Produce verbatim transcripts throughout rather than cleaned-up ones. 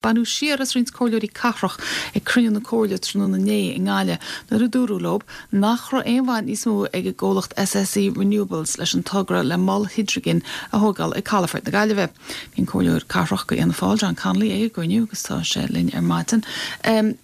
Baineadh siar as roinnt comhairleoirí cathrach ag cruinniú na Comhairle tráthnóna inné i nGaillimh nuair a dúradh leo nach raibh aon bhaint níos mó ag an gcomhlacht SSE Renewables leis an togra le mol hidrigine a thógáil ag Calafort na Gaillimhe. Bhí an comhairleoir cathrach do Fhianna Fáil John Connolly ag an gcruinniú agus tá sé linn ar maidin. Um,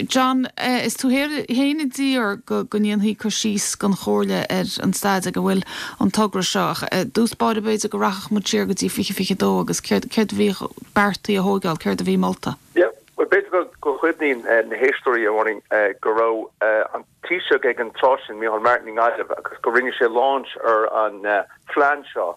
John is tú féin a d'iarr go go ndéanfaí cur síos don chomhairle ar an staid ag a bhfuil an togra seo dtús báire b'fhéidir go rachadh muid siar go dtí fiche fiche dó agus céard a bhí beartaithe a thógáil céard a bhí molta. Well b'fhéidir go gcuimhníonn na héisteoirí a bhaining go raibh an Taoiseach ag an tráth sin Micheál Martin i nGaillimh agus go rinne sé launch ar an phlean seo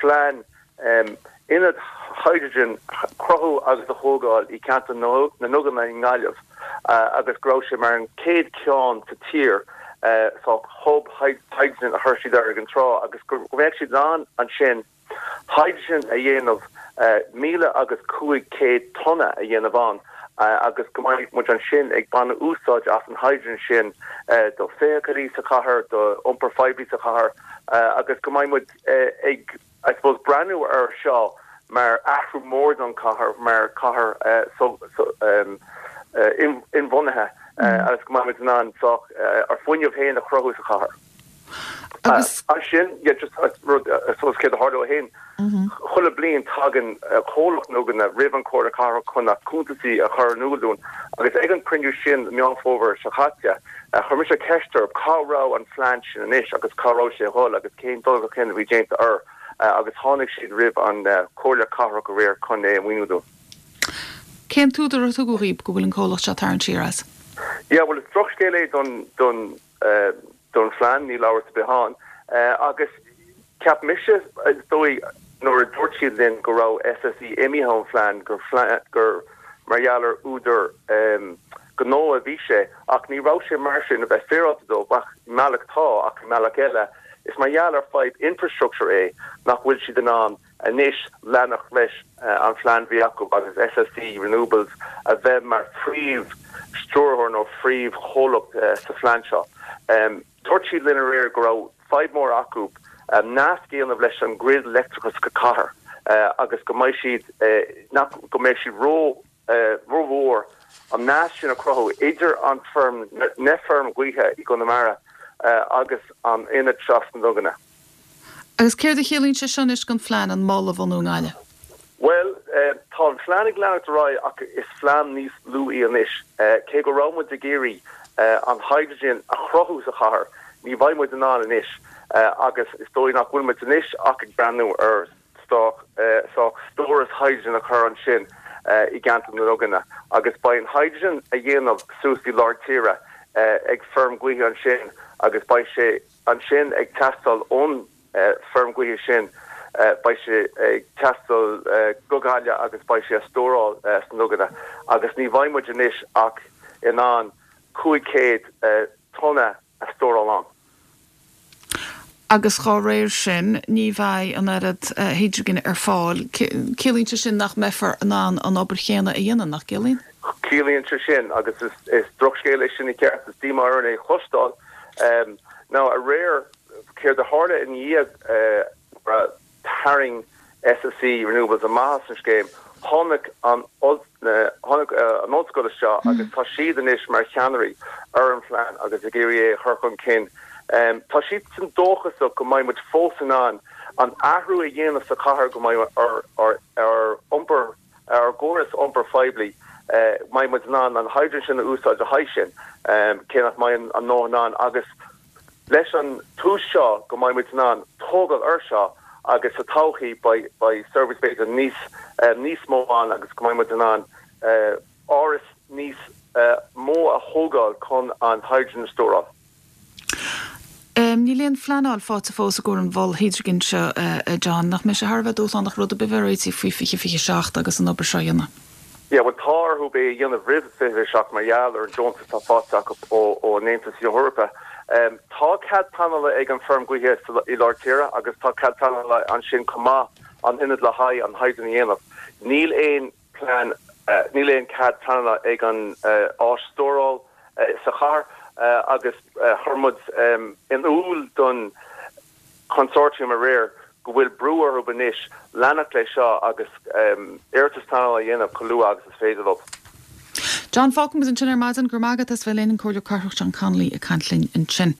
phlean um, ionad hydrogen cruthú agus a thógáil i gceantar na nDuganna i nGaillimh uh, agus go raibh sé mar an chéad cheann sa tír uh, so hub hydrogen a chuir siad air ag an tráth agus go mbeadh siad an ansin hydrogen a dhéanamh uh, míle agus cúig céad tonna a dhéanamh ann uh, agus go mbeidh muid ansin ag baint úsáid as an hydrogen sin uh, do feithiclí sa chathair do iompar poiblí sa chathair uh, agus go mbeidh muid uh, ag I suppose breathnú ar seo mar athrú mór don chathair mar cathair uh, so, so, um, uh, in, inbhuanaithe uh, mm. agus go mbeidh muid an so uh, ár bhfuinneamh féin a chruthú sa chathair. Agus sin just rud céad a hain Chuile bliain tagann comhlacht na nDuganna roimh an Chomhairle Cathrach chun na cuntasaí a chur in iúl dúinn agus ag an cruinniú sin Meán Fómhair seo caite chuir mise ceist orthu cá raibh an phlean sin anois agus cá raibh sé dhul agus cén dul cén bhí déanta air agus tháinig siad roimh an Chomhairle Cathrach aréir chun é a mhíniú dúinn. Cén t-údar a tugadh daoibh go bhfuil an comhlacht seo tarraingt siar as? Ja well is drochscéal é don don uh, don phlean níl amhras ar bith ann uh, agus ceap mise dóigh nuair a dúirt siad linn go raibh SSE imithe ón phlean gur gur mar gheall ar údar um, gnó a bhí sé ach ní raibh sé mar sin a bheith féaráilte dó ach mbealach tá ach mbealach eile is mar gheall ar fadhb infrastructure é nach bhfuil siad in ann anois leanacht leis uh, an phlean bhí acu agus SSE Renewables a bheith mar phríomh stiúrthóir nó phríomh chomhlacht uh, sa phlean seo. Um, Dúirt siad linn aréir go raibh fadhb mór acu um, nasc a dhéanamh leis an grid leictreachas go cathair uh, agus go mbeidh siad uh, nach go mbeidh siad ró uh, rómhór an nasc sin a chruthú idir an feirm na feirm gaoithe i gConamara uh, agus an ionad seo sna Duganna. Agus céard a chiallaíonn sé sin anois don phlean an mol a bhunú i nGaillimh? Well, uh, tá an phlean ag leanacht ar aghaidh ach is plean níos lú é anois uh, cé go raibh muid ag iarraidh uh, an hydrogen a chruthú sa chathair, ní bheidh muid in ann anois uh, agus is dóigh nach bhfuil muid anois ach ag breathnú ar stoc uh, so stóras hydrogen a chur ansin uh, i gceantar na nDuganna agus beidh an hydrogen a dhéanamh suas i lár tíre uh, ag feirm gaoithe ansin agus beidh sé ansin ag teastáil ón uh, feirm gaoithe sin uh, beidh sé ag teastáil uh, go Gaillimh agus beidh sé á stóráil uh, sna Duganna agus ní bheidh muid anois ach in ann cúig céad uh, tonna a stóráil ann. Agus dá réir sin ní bheidh an oiread uh, hydrogen ar fáil Ciallaíonn sé sin nach mbeifear in ann an obair chéanna a dhéanamh nach gciallaíonn? Ciallaíonn sé sin agus is, is drochscéal é sin i gceart is díomá é a chloisteáil um, ná aréir céard a tharla in dhiaidh uh, tharraing SSE Renewables amach as an scéim tháinig an tháinig an ollscoil seo agus tá siad anois mar cheannairí ar an phlean agus ag iarraidh é a chur chun cinn. Um, tá siad san dóchasach go mbeidh muid fós in ann an athrú a dhéanamh sa chathair go mbeidh ar ar ar iompar ar gcóras iompar poiblí uh, mbeidh muid in ann an hydrogen sin a úsáid a haghaidh sin um, cé nach mbeidh an nó an agus leis an tús seo go mbeidh muid in ann tógáil ar seo agus sa todhchaí beidh service b'fhéidir níos uh, níos mó ann agus go mbeidh muid in ann uh, áras níos uh, mó a thógáil chun an hydrogen stóráil. Um, Níl aon phleanáil faighte fós i gcomhair an mhol hydrogen seo uh, uh, John nach mbeidh sé thar a bheith dúshlánach rud a bheith faoi fiche fiche seacht agus an obair seo a dhéanamh. Ja, well tá orthu é a dhéanamh roimh fiche seacht mar gheall ar an deontas atá faighte acu ó ó an Aontas Eorpach. Um, tá cead pleanála ag an feirm gaoithe i lár tíre agus tá cead pleanála ansin chomh maith an ionad le haghaidh an hydrogen a dhéanamh. Níl aon plean uh, níl aon cead pleanála ag an uh, áis stóráil uh, sa chathair uh, agus uh, chuir muid um, in iúl don consortium aréir go bhfuil brú orthu anois leanacht leis seo agus iarratas pleanála a dhéanamh chomh luath agus is féidir leo. John fágfaimid ansin ar maidin go magat as bheith linn an Comhairleoir Cathrach John Connolly ag caint linn ansin.